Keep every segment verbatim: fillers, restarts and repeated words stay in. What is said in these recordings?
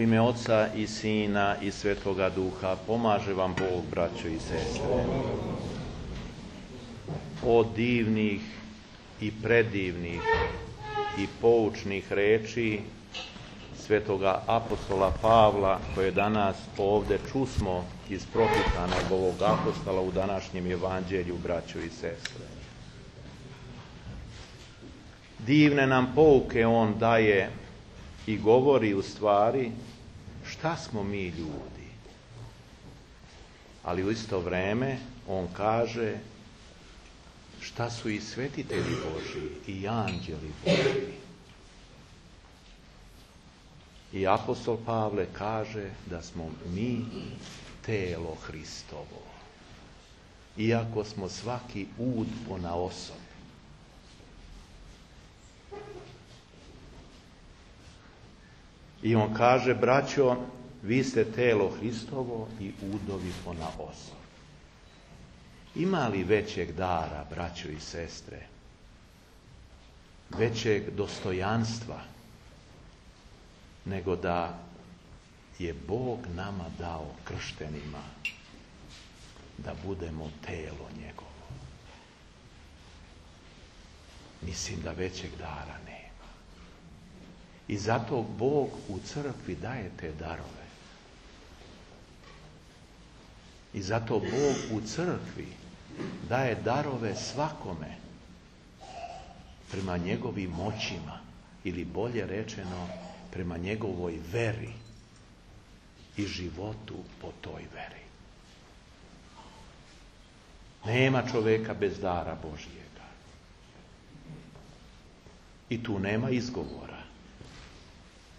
ime Oca i Sina i Svetoga Duha, pomaže vam Bog, braćo i sestre. Od divnih i predivnih i poučnih reči Svetoga apostola Pavla, koje danas ovdje čusmo iz propitanog ovog apostola u današnjem evanđelju, braćo i sestre. Divne nam pouke on daje i govori u stvari šta smo mi ljudi. Ali u isto vrijeme on kaže šta su i svetitelji Božji i anđeli Božji. I apostol Pavle kaže da smo mi telo Hristovo, iako smo svaki ud ponaosob. I on kaže, braćo, vi ste telo Hristovo i udovi ponaosob. Ima li većeg dara, braćo i sestre, većeg dostojanstva, nego da je Bog nama dao krštenima da budemo telo njegovo? Mislim da većeg dara nema. I zato Bog u crkvi daje te darove. I zato Bog u crkvi daje darove svakome prema njegovim moćima, ili bolje rečeno, prema njegovoj veri i životu po toj veri. Nema čoveka bez dara Božjega. I tu nema izgovora.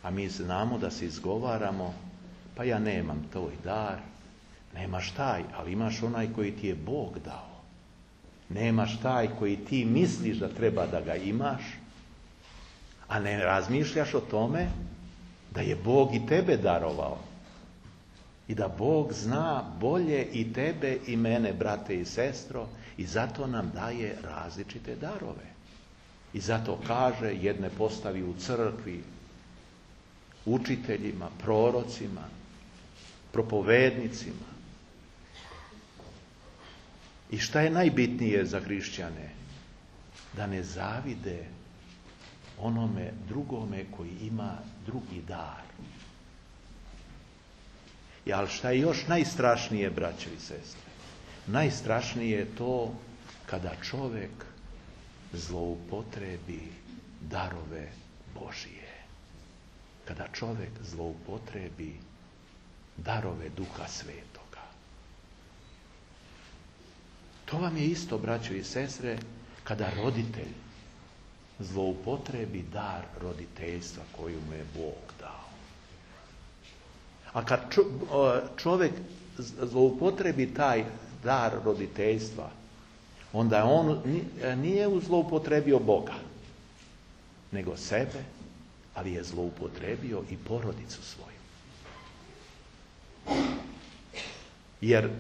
A mi znamo da se izgovaramo, pa ja nemam tvoj dar. Nemaš taj, ali imaš onaj koji ti je Bog dao. Nemaš taj koji ti misliš da treba da ga imaš, a ne razmišljaš o tome da je Bog i tebe darovao. I da Bog zna bolje i tebe i mene, brate i sestro, i zato nam daje različite darove. I zato kaže, jedne postavi u crkvi, učiteljima, prorocima, propovednicima. I šta je najbitnije za hrišćane? Da ne zavide onome drugome koji ima drugi dar. I, ali šta je još najstrašnije, braćo i sestre? Najstrašnije je to kada čovjek zloupotrebi darove Božije. Kada čovjek zloupotrebi darove Duha Svetoga. To vam je isto, braćo i sestre, kada roditelj zloupotrebi dar roditeljstva koju mu je Bog dao. A kad čovjek zloupotrebi taj dar roditeljstva, onda on nije zloupotrebio Boga, nego sebe, ali je zloupotrebio i porodicu svoju. Jer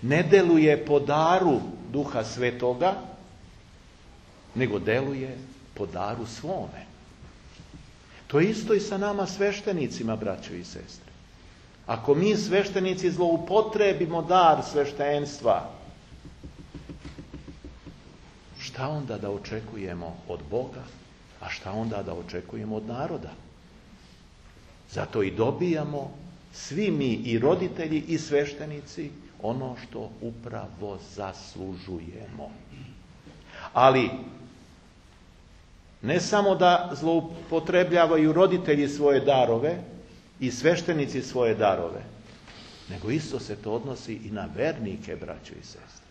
ne deluje po daru Duha Svetoga, nego deluje po daru svome. To je isto i sa nama sveštenicima, braćo i sestre. Ako mi sveštenici zloupotrebimo dar sveštenstva, šta onda da očekujemo od Boga, a šta onda da očekujemo od naroda? Zato i dobijamo svi mi, i roditelji i sveštenici, ono što upravo zaslužujemo. Ali ne samo da zloupotrebljavaju roditelji svoje darove i sveštenici svoje darove, nego isto se to odnosi i na vernike, braćo i sestre.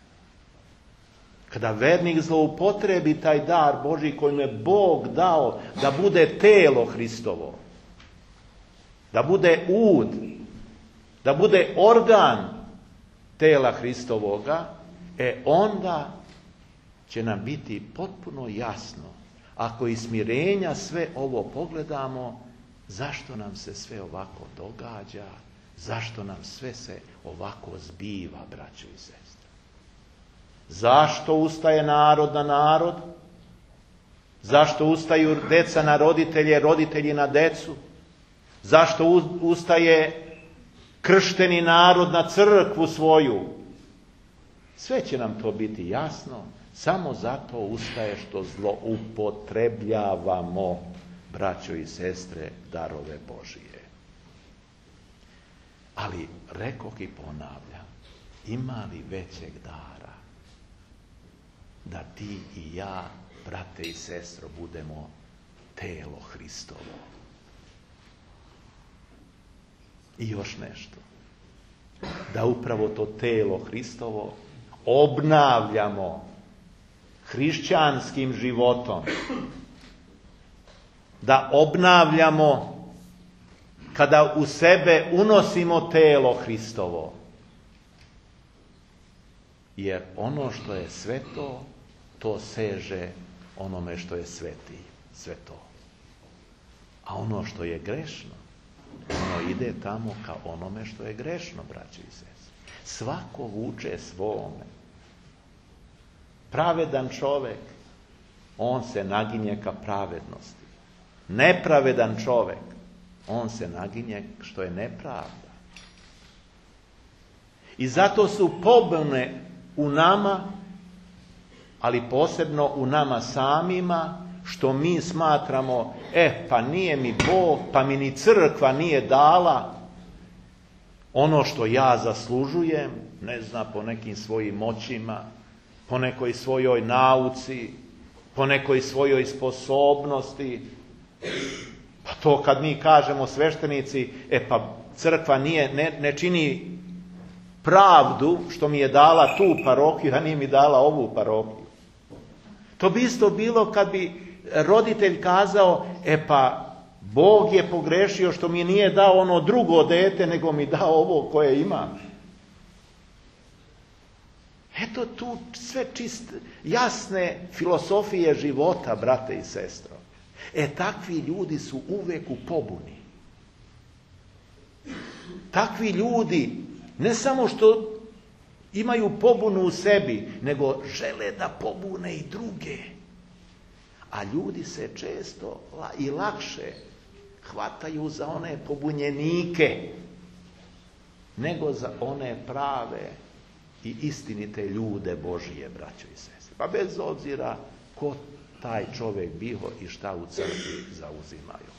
Kada vernik zloupotrebi taj dar Božji kojim je Bog dao da bude telo Hristovo, da bude ud, da bude organ tela Hristovoga, e onda će nam biti potpuno jasno, ako iz smirenja sve ovo pogledamo, zašto nam se sve ovako događa, zašto nam sve se ovako zbiva, braćo i sestre. Zašto ustaje narod na narod? Zašto ustaju deca na roditelje, roditelji na decu? Zašto ustaje kršteni narod na crkvu svoju? Sve će nam to biti jasno, samo zato ustaje što zloupotrebljavamo, braćo i sestre, darove Božije. Ali, rekoh i ponavljam, ima li većeg dara da ti i ja, brate i sestro, budemo telo Hristovo? I još nešto. Da upravo to telo Hristovo obnavljamo hrišćanskim životom. Da obnavljamo kada u sebe unosimo telo Hristovo. Jer ono što je sveto, to seže onome što je sveti, sveto. A ono što je grešno, ono ide tamo ka onome što je grešno, braći i sestre. Svako vuče svome. Pravedan čovjek, on se naginje ka pravednosti. Nepravedan čovjek, on se naginje što je nepravda. I zato su pobune u nama, ali posebno u nama samima, što mi smatramo, e, pa nije mi Bog, pa mi ni crkva nije dala ono što ja zaslužujem, ne znam, po nekim svojim moćima, po nekoj svojoj nauci, po nekoj svojoj sposobnosti. Pa to kad mi kažemo sveštenici, e pa crkva nije, ne, ne čini pravdu što mi je dala tu parohiju, a nije mi dala ovu parohiju. To bi isto bilo kad bi roditelj kazao, e pa Bog je pogrešio što mi nije dao ono drugo dete, nego mi dao ovo koje imam. Eto tu sve čiste, jasne filosofije života, brate i sestro. E takvi ljudi su uvek u pobuni. Takvi ljudi ne samo što imaju pobunu u sebi, nego žele da pobune i druge. A ljudi se često i lakše hvataju za one pobunjenike, nego za one prave i istinite ljude Božije, braćo i sestre. Pa bez obzira ko taj čovjek bio i šta u crkvi zauzimaju.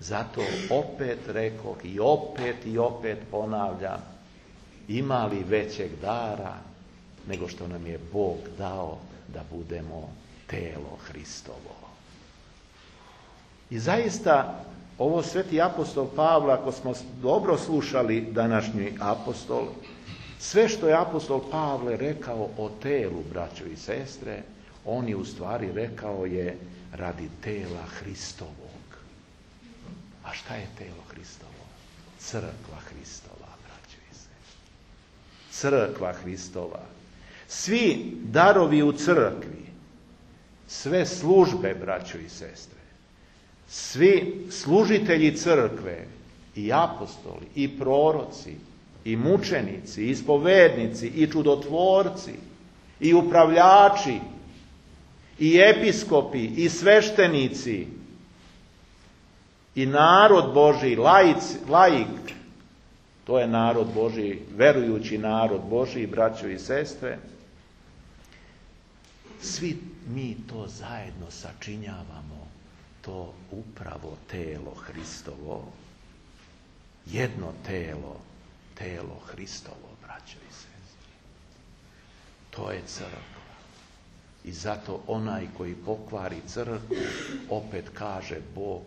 Zato opet rekoh i opet i opet ponavljam, ima li većeg dara nego što nam je Bog dao da budemo telo Hristovo. I zaista, ovo sveti apostol Pavle, ako smo dobro slušali današnji apostol, sve što je apostol Pavle rekao o telu, braćo i sestre, on je u stvari rekao je radi tela Hristovog. A šta je telo Hristovo? Crkva Hristova, braćo i sestre. Crkva Hristova. Svi darovi u crkvi, sve službe, braćo i sestre, svi služitelji crkve, i apostoli, i proroci, i mučenici, i ispovednici, i čudotvorci, i upravljači, i episkopi, i sveštenici, i narod Božji, laic, laik, to je narod Božji, verujući narod Božji, braćo i sestre, svi mi to zajedno sačinjavamo, to upravo telo Hristovo, jedno telo, telo Hristovo, braćo i sestre. To je crkva. I zato onaj koji pokvari crkvu, opet kaže Bog,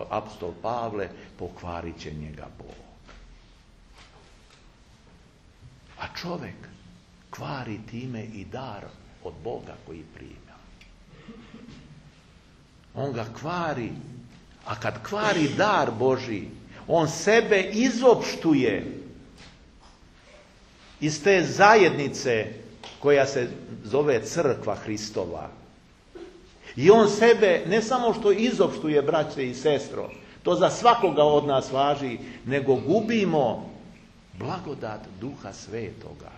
apostol Pavle, pokvarit će njega Bog. A čovjek kvari time i dar od Boga koji prima. On ga kvari, a kad kvari dar Božji, on sebe izopštuje iz te zajednice koja se zove crkva Hristova. I on sebe ne samo što izopštuje, braće i sestro, to za svakoga od nas važi, nego gubimo blagodat Duha Svetoga.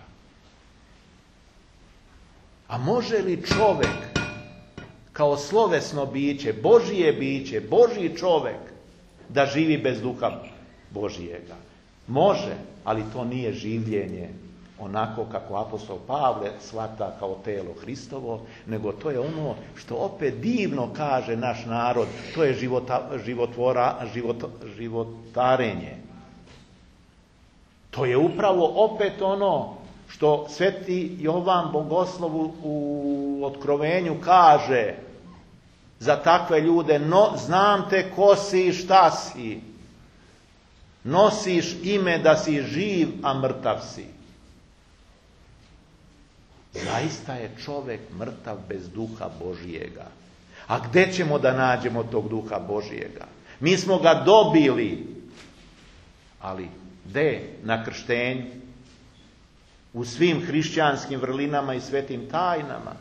A može li čovjek kao slovesno biće, Božije biće, Božji čovjek, da živi bez duha Božijega. Može, ali to nije življenje onako kako apostol Pavle shvata kao telo Hristovo, nego to je ono što opet divno kaže naš narod, to je života, životvora, život, životarenje. To je upravo opet ono što sveti Jovan Bogoslov u Otkrovenju kaže za takve ljude: no, znam te ko si i šta si. Nosiš ime da si živ, a mrtav si. Zaista je čovjek mrtav bez duha Božijega. A gdje ćemo da nađemo tog duha Božijega? Mi smo ga dobili, ali gdje? Na krštenju, u svim hrišćanskim vrlinama i svetim tajnama.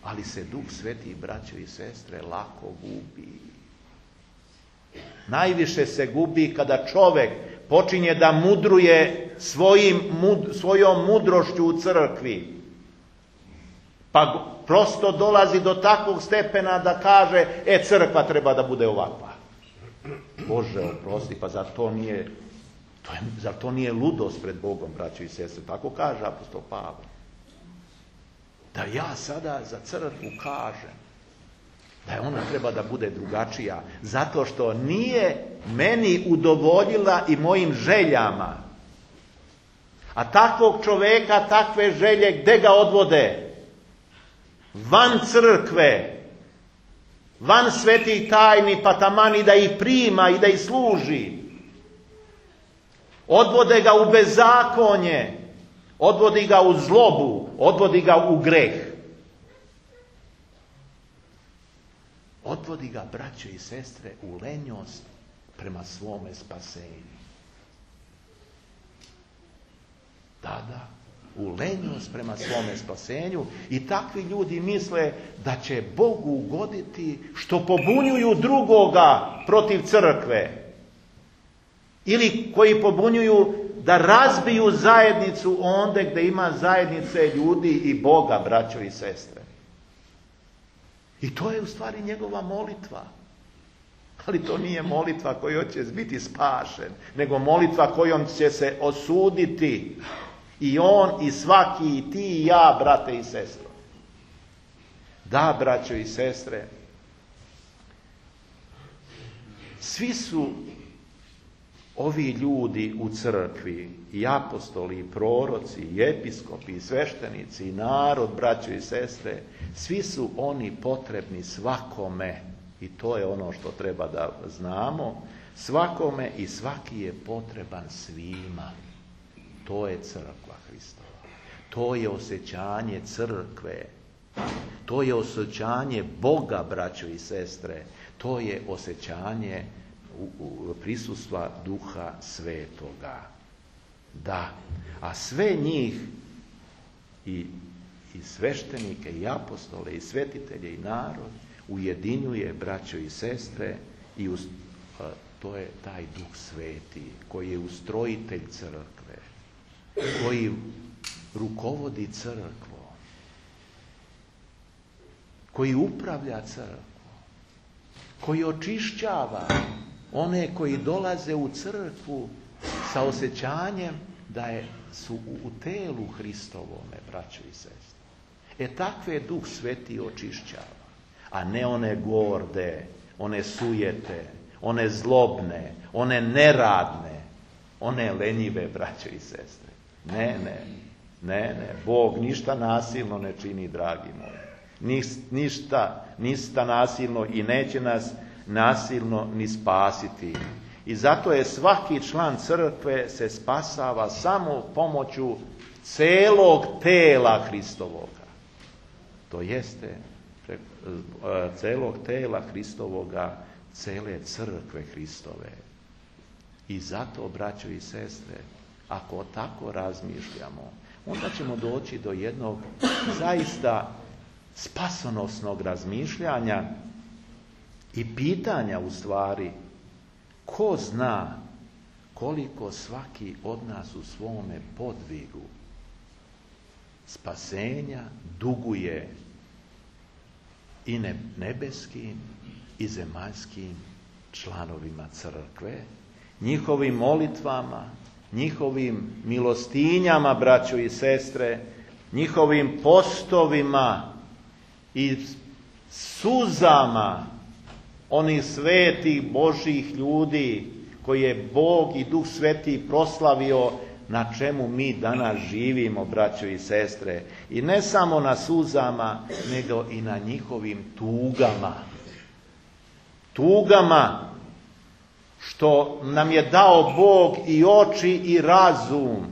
Ali se Duh Sveti, braćo i sestre, lako gubi. Najviše se gubi kada čovjek počinje da mudruje svojim, mud, svojom mudrošću u crkvi. Pa prosto dolazi do takvog stepena da kaže: e, crkva treba da bude ovakva. Bože, oprosti, pa zar to nije, to je, zar to nije ludost pred Bogom, braćo i sestre? Tako kaže apostol Pavle. Da ja sada za crkvu kažem da je ona treba da bude drugačija, zato što nije meni udovoljila i mojim željama. A takvog čoveka, takve želje, gde ga odvode? Van crkve, van svetih tajni, pa taman i da ih prima i da ih služi. Odvode ga u bezakonje, odvodi ga u zlobu, odvodi ga u greh. Odvodi ga, braćo i sestre, u lenjost prema svome spasenju. Da, da, u lenjost prema svome spasenju. I takvi ljudi misle da će Bogu ugoditi što pobunjuju drugoga protiv crkve. Ili koji pobunjuju da razbiju zajednicu onde gdje ima zajednice ljudi i Boga, braćo i sestre. I to je u stvari njegova molitva. Ali to nije molitva kojom će biti spašen, nego molitva kojom će se osuditi i on i svaki, i ti i ja, brate i sestre. Da, braćo i sestre, svi su ovi ljudi u crkvi, i apostoli, i proroci, i episkopi, i sveštenici, i narod, braćo i sestre, svi su oni potrebni svakome. I to je ono što treba da znamo. Svakome i svaki je potreban svima. To je crkva Hristova. To je osjećanje crkve. To je osjećanje Boga, braćo i sestre. To je osjećanje prisustva Duha Svetoga. Da, a sve njih i, i sveštenike, i apostole, i svetitelje, i narod ujedinjuje, braćo i sestre, i uz, a, to je taj Duh Sveti koji je ustrojitelj crkve, koji rukovodi crkvom, koji upravlja crkvom, koji očišćava one koji dolaze u crkvu sa osjećanjem da je, su u telu Hristovome, braćo i sestre. E takve Duh Sveti očišćava, a ne one gorde, one sujete, one zlobne, one neradne, one lenjive, braćo i sestre. Ne, ne, ne, ne. Bog ništa nasilno ne čini, dragi moji. Ništa, ništa nasilno i neće nas nasilno ni spasiti. I zato je svaki član crkve se spasava samo pomoću celog tela Hristovoga. To jeste celog tela Hristovoga, cele crkve Hristove. I zato, braćo i sestre, ako tako razmišljamo, onda ćemo doći do jednog zaista spasonosnog razmišljanja i pitanja, u stvari, ko zna koliko svaki od nas u svome podvigu spasenja duguje i nebeskim i zemaljskim članovima crkve, njihovim molitvama, njihovim milostinjama, braćo i sestre, njihovim postovima i suzama onih svetih Božih ljudi koje je Bog i Duh Sveti proslavio, na čemu mi danas živimo, braćo i sestre. I ne samo na suzama, nego i na njihovim tugama. Tugama što nam je dao Bog i oči i razum,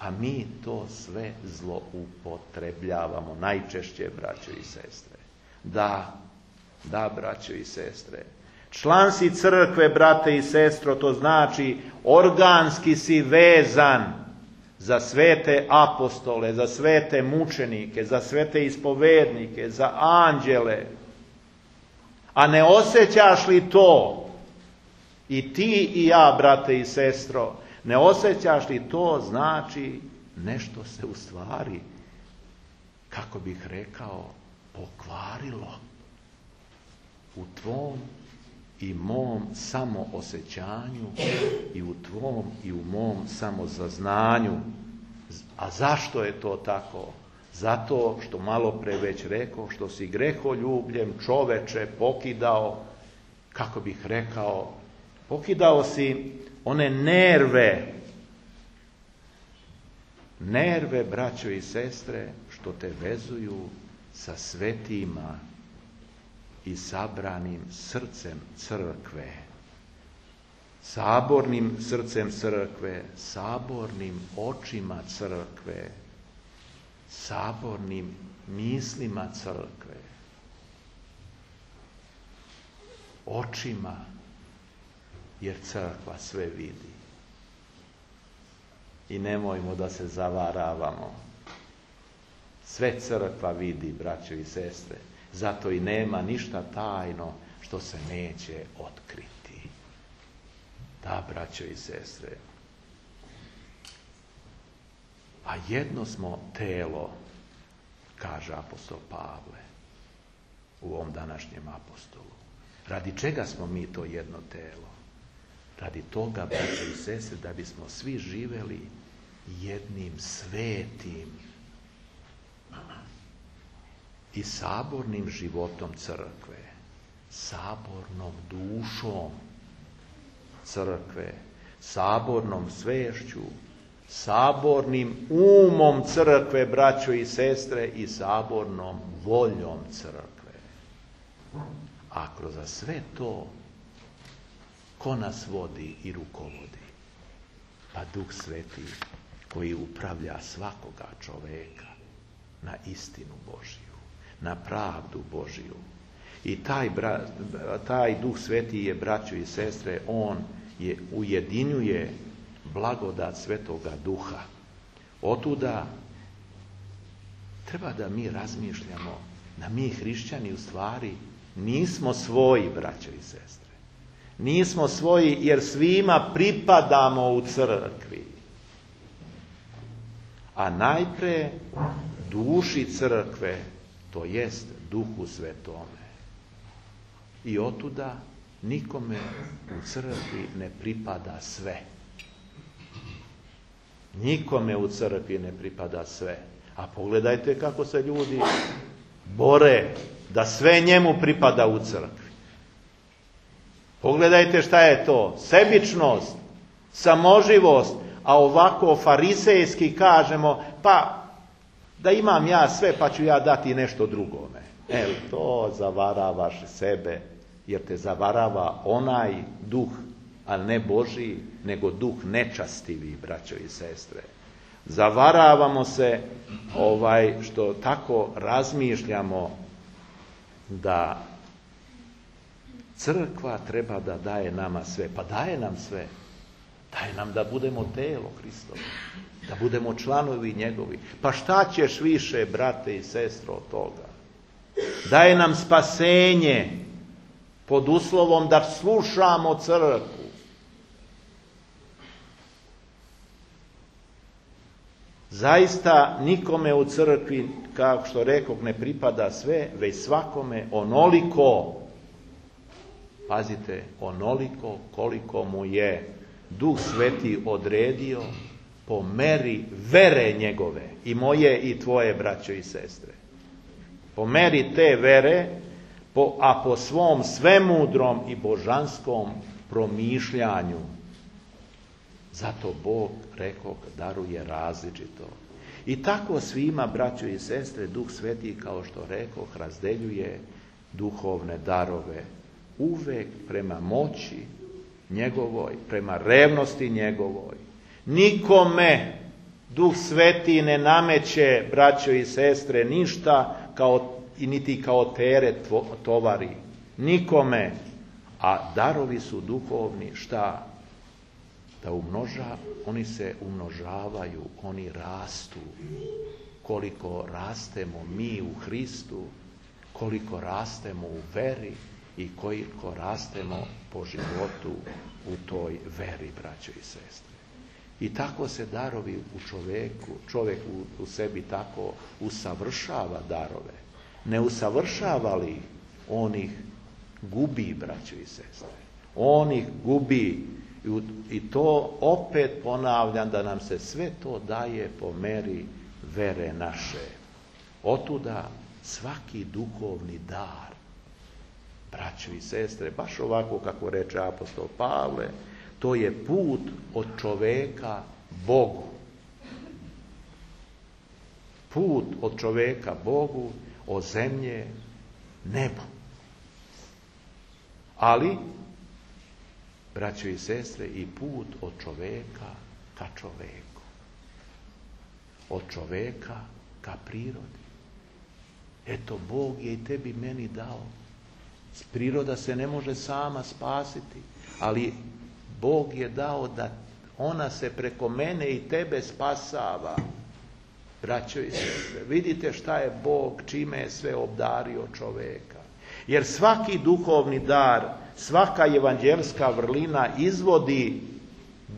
a mi to sve zloupotrebljavamo najčešće, braćo i sestre. Da, da, braćo i sestre. Član si crkve, brate i sestro, to znači organski si vezan za svete apostole, za svete mučenike, za svete ispovednike, za anđele. A ne osjećaš li to, i ti i ja, brate i sestro, ne osjećaš li to, znači nešto se u stvari, kako bih rekao, pokvarilo u tvom i mom samoosjećanju i u tvom i u mom samozaznanju. A zašto je to tako? Zato što, malo pre već rekao, što si greholjubljem čoveče pokidao, kako bih rekao, pokidao si one nerve, nerve, braćo i sestre, što te vezuju sa svetima i sabranim srcem crkve, sabornim srcem crkve, sabornim očima crkve, sabornim mislima crkve, očima, jer crkva sve vidi. I nemojmo da se zavaravamo. Sve crkva vidi, braćo i sestre. Zato i nema ništa tajno što se neće otkriti. Da, braćo i sestre. A jedno smo telo, kaže apostol Pavle u ovom današnjem apostolu. Radi čega smo mi to jedno telo? Radi toga, braćo i sestre, da bismo svi živeli jednim svetim i sabornim životom crkve, sabornom dušom crkve, sabornom svešću, sabornim umom crkve, braćo i sestre, i sabornom voljom crkve. A kroz sve to, ko nas vodi i rukovodi? Pa Duh Sveti, koji upravlja svakoga čoveka na istinu Božiju, na pravdu Božiju. I taj, taj Duh Sveti je, braćo i sestre, on je ujedinjuje blagodat Svetoga Duha. Otuda treba da mi razmišljamo da mi hrišćani u stvari nismo svoji, braćo i sestre. Nismo svoji jer svima pripadamo u crkvi. A najpre duši crkve, to jest Duhu Svetome. I otuda nikome u crkvi ne pripada sve. Nikome u crkvi ne pripada sve. A pogledajte kako se ljudi bore da sve njemu pripada u crkvi. Pogledajte šta je to. Sebičnost, samoživost, a ovako farisejski kažemo, pa da imam ja sve pa ću ja dati nešto drugome. E, to zavaravaš sebe, jer te zavarava onaj duh, a ne Božji, nego duh nečastivi, braćo i sestre. Zavaravamo se ovaj što tako razmišljamo da crkva treba da daje nama sve. Pa daje nam sve. Daje nam da budemo telo Hristovo, da budemo članovi njegovi. Pa šta ćeš više, brate i sestro, od toga? Daje nam spasenje pod uslovom da slušamo crkvu. Zaista nikome u crkvi, kao što rekog, ne pripada sve, već svakome onoliko Pazite, onoliko koliko mu je Duh Sveti odredio po meri vere njegove, i moje i tvoje, braćo i sestre. Po meri te vere, po, a po svom svemudrom i božanskom promišljanju. Zato Bog, rekoh, daruje različito. I tako svima, braćo i sestre, Duh Sveti, kao što rekoh, razdeljuje duhovne darove. Uvek prema moći njegovoj, prema revnosti njegovoj. Nikome Duh Sveti ne nameće, braćo i sestre, ništa kao, i niti kao teret tovari. Nikome. A darovi su duhovni šta? Da umnoža, oni se umnožavaju, oni rastu. Koliko rastemo mi u Hristu, koliko rastemo u veri i koliko rastemo po životu u toj veri, braćo i sestre. I tako se darovi u čoveku, čovjek u, u sebi tako usavršava darove. Ne usavršava li on ih gubi, braćo i sestre. On ih gubi. I to opet ponavljam, da nam se sve to daje po meri vere naše. Otuda svaki duhovni dar, braćo i sestre, baš ovako kako reče apostol Pavle, to je put od čoveka Bogu. Put od čoveka Bogu, od zemlje nebu. Ali, braćo i sestre, i put od čoveka ka čoveku. Od čoveka ka prirodi. Eto, Bog je i tebi meni dao. Priroda se ne može sama spasiti, ali Bog je dao da ona se preko mene i tebe spasava. Braćo i sestre, vidite šta je Bog, čime je sve obdario čoveka. Jer svaki duhovni dar, svaka evanđelska vrlina izvodi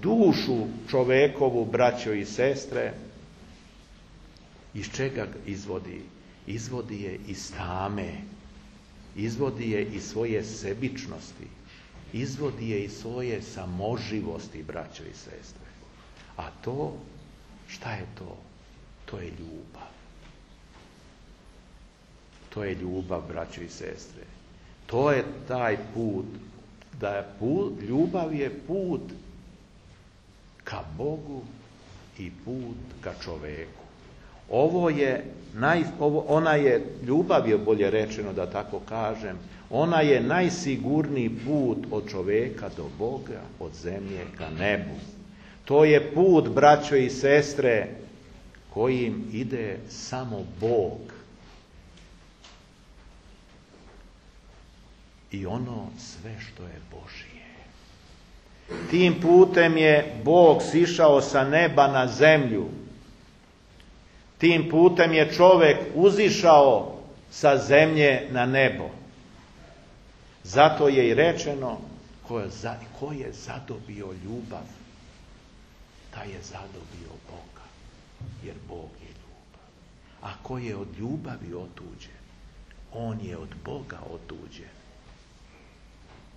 dušu čovekovu, braćo i sestre. Iz čega izvodi? Izvodi je iz tame, izvodi je iz svoje sebičnosti, izvodi je iz svoje samoživosti, braćo i sestre. A to, šta je to? To je ljubav. To je ljubav, braćo i sestre. To je taj put, da je put, ljubav je put ka Bogu i put ka čoveku. Ovo je, naj, ovo, ona je, ljubav je bolje rečeno da tako kažem, ona je najsigurniji put od čoveka do Boga, od zemlje ka nebu. To je put, braćo i sestre, kojim ide samo Bog. I ono sve što je Božije. Tim putem je Bog sišao sa neba na zemlju. Tim putem je čovjek uzišao sa zemlje na nebo. Zato je i rečeno, ko je, za, ko je zadobio ljubav, taj je zadobio Boga, jer Bog je ljubav. A ko je od ljubavi otuđen, on je od Boga otuđen.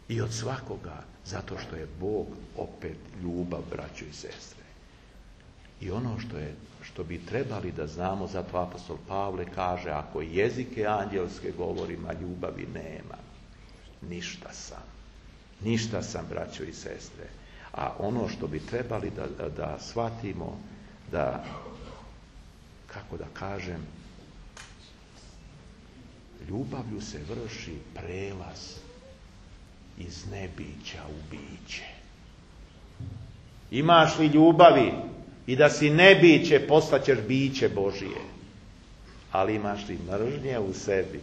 I od svakoga, zato što je Bog opet ljubav, braćo i sestre. I ono što je, što bi trebali da znamo, zato apostol Pavle kaže, ako jezike anđelske govorim, a ljubavi nema, ništa sam. Ništa sam, braćo i sestre. A ono što bi trebali da, da, da shvatimo, da, kako da kažem, ljubavlju se vrši prelaz iz nebića u biće. Imaš li ljubavi i da si nebiće, postaćeš biće Božije. Ali imaš li mržnje u sebi,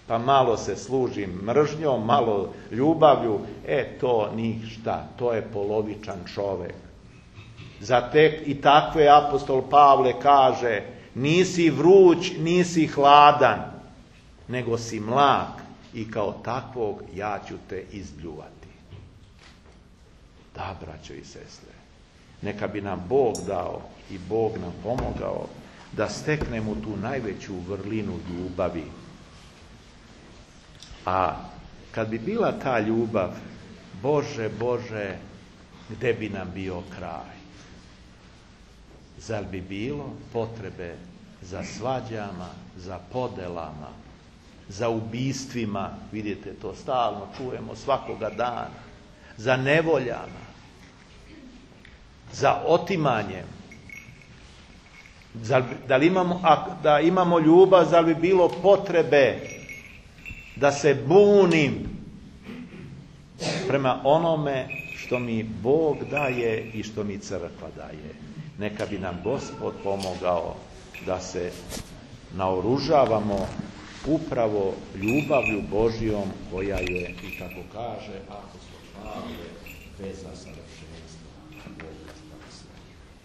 pa malo se služim mržnjom, malo ljubavlju, e to ništa, to je polovičan čovek. Za tek i takve apostol Pavle kaže, nisi vruć, nisi hladan, nego si mlak i kao takvog ja ću te izbljuvati. Da, braćo i sestre, neka bi nam Bog dao i Bog nam pomogao da steknemo tu najveću vrlinu ljubavi. A kad bi bila ta ljubav, Bože, Bože, gde bi nam bio kraj? Zar bi bilo potrebe za svađama, za podelama, za ubistvima, vidite, to stalno čujemo svakoga dana, za nevoljama, za otimanjem? Zar, da, li imamo, a, da imamo ljubav, zar bi bilo potrebe da se bunim prema onome što mi Bog daje i što mi crkva daje? Neka bi nam Gospod pomogao da se naoružavamo upravo ljubavlju Božjom, koja je, i kako kaže apostol Pavle, veza savršenstva.